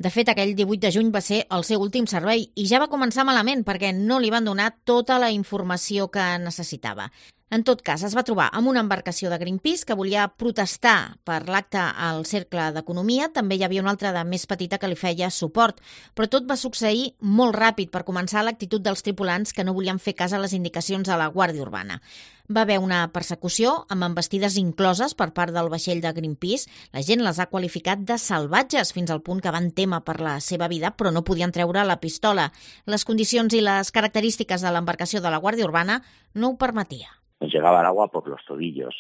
De fet, aquell 18 de juny va ser el seu últim servei i ja va començar malament perquè no li van donar tota la informació que necessitava. En tot cas, es va trobar amb una embarcació de Greenpeace que volia protestar per l'acte al Cercle d'Economia. També hi havia una altra de més petita que li feia suport. Però tot va succeir molt ràpid per començar l'actitud dels tripulants que no volien fer cas a les indicacions de la Guàrdia Urbana. Va haver una persecució amb envestides incloses per part del vaixell de Greenpeace. La gent les ha qualificat de salvatges fins al punt que van témer per la seva vida, però no podien treure la pistola. Les condicions i les característiques de l'embarcació de la Guàrdia Urbana no ho permetia. Nos llegaba el agua por los tobillos,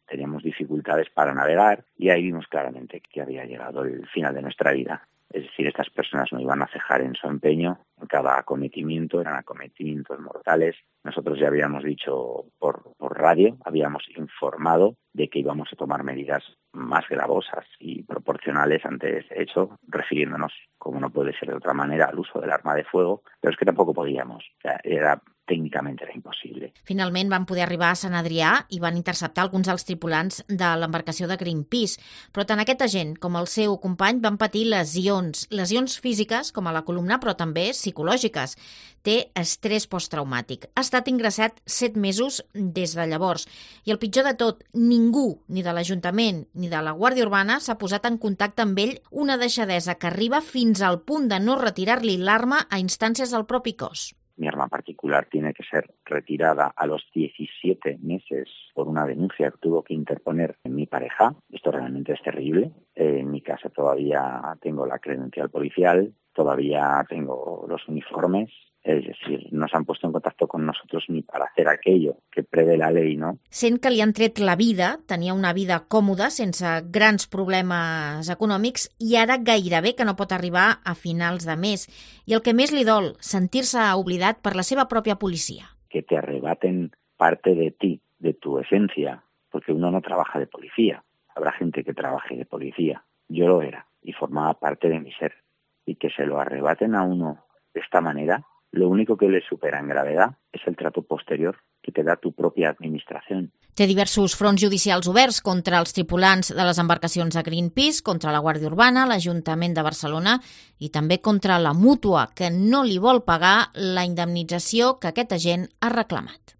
teníamos dificultades para navegar y ahí vimos claramente que había llegado el final de nuestra vida. Es decir, estas personas no iban a cejar en su empeño, en cada acometimiento, eran acometimientos mortales. Nosotros ya habíamos dicho por radio, habíamos informado de que íbamos a tomar medidas más gravosas y proporcionales ante ese hecho, refiriéndonos, como no puede ser de otra manera, al uso del arma de fuego, pero es que tampoco podíamos, o sea, tècnicament era impossible. Finalment van poder arribar a Sant Adrià i van interceptar alguns dels tripulants de l'embarcació de Greenpeace, però tant aquest agent com el seu company van patir lesions físiques, com a la columna, però també psicològiques. Té estrès posttraumàtic. Ha estat ingressat 7 mesos des de llavors. I el pitjor de tot, ningú, ni de l'Ajuntament ni de la Guàrdia Urbana, s'ha posat en contacte amb ell, una deixadesa que arriba fins al punt de no retirar-li l'arma a instàncies del propi cos. Mi arma particular tiene que ser retirada a los 17 meses por una denuncia que tuvo que interponer mi pareja. Esto realmente es terrible. En mi casa todavía tengo la credencial policial, todavía tengo los uniformes. Es decir, no se han puesto en contacto con nosotros ni para hacer aquello que prevé la ley, ¿no? Sent que li han tret la vida, tenia una vida còmoda, sense grans problemes econòmics, i ara gairebé que no pot arribar a finals de mes. I el que més li dol, sentir-se oblidat per la seva pròpia policia. Que te arrebaten parte de ti, de tu esencia, porque uno no trabaja de policía. Habrá gente que trabaje de policía. Yo lo era y formaba parte de mi ser. Y que se lo arrebaten a uno de esta manera, lo único que le supera en gravedad es el trato posterior que te da tu pròpia administració. Té diversos fronts judicials oberts contra els tripulants de les embarcacions de Greenpeace, contra la Guàrdia Urbana, l'Ajuntament de Barcelona i també contra la mútua, que no li vol pagar la indemnització que aquest agent ha reclamat.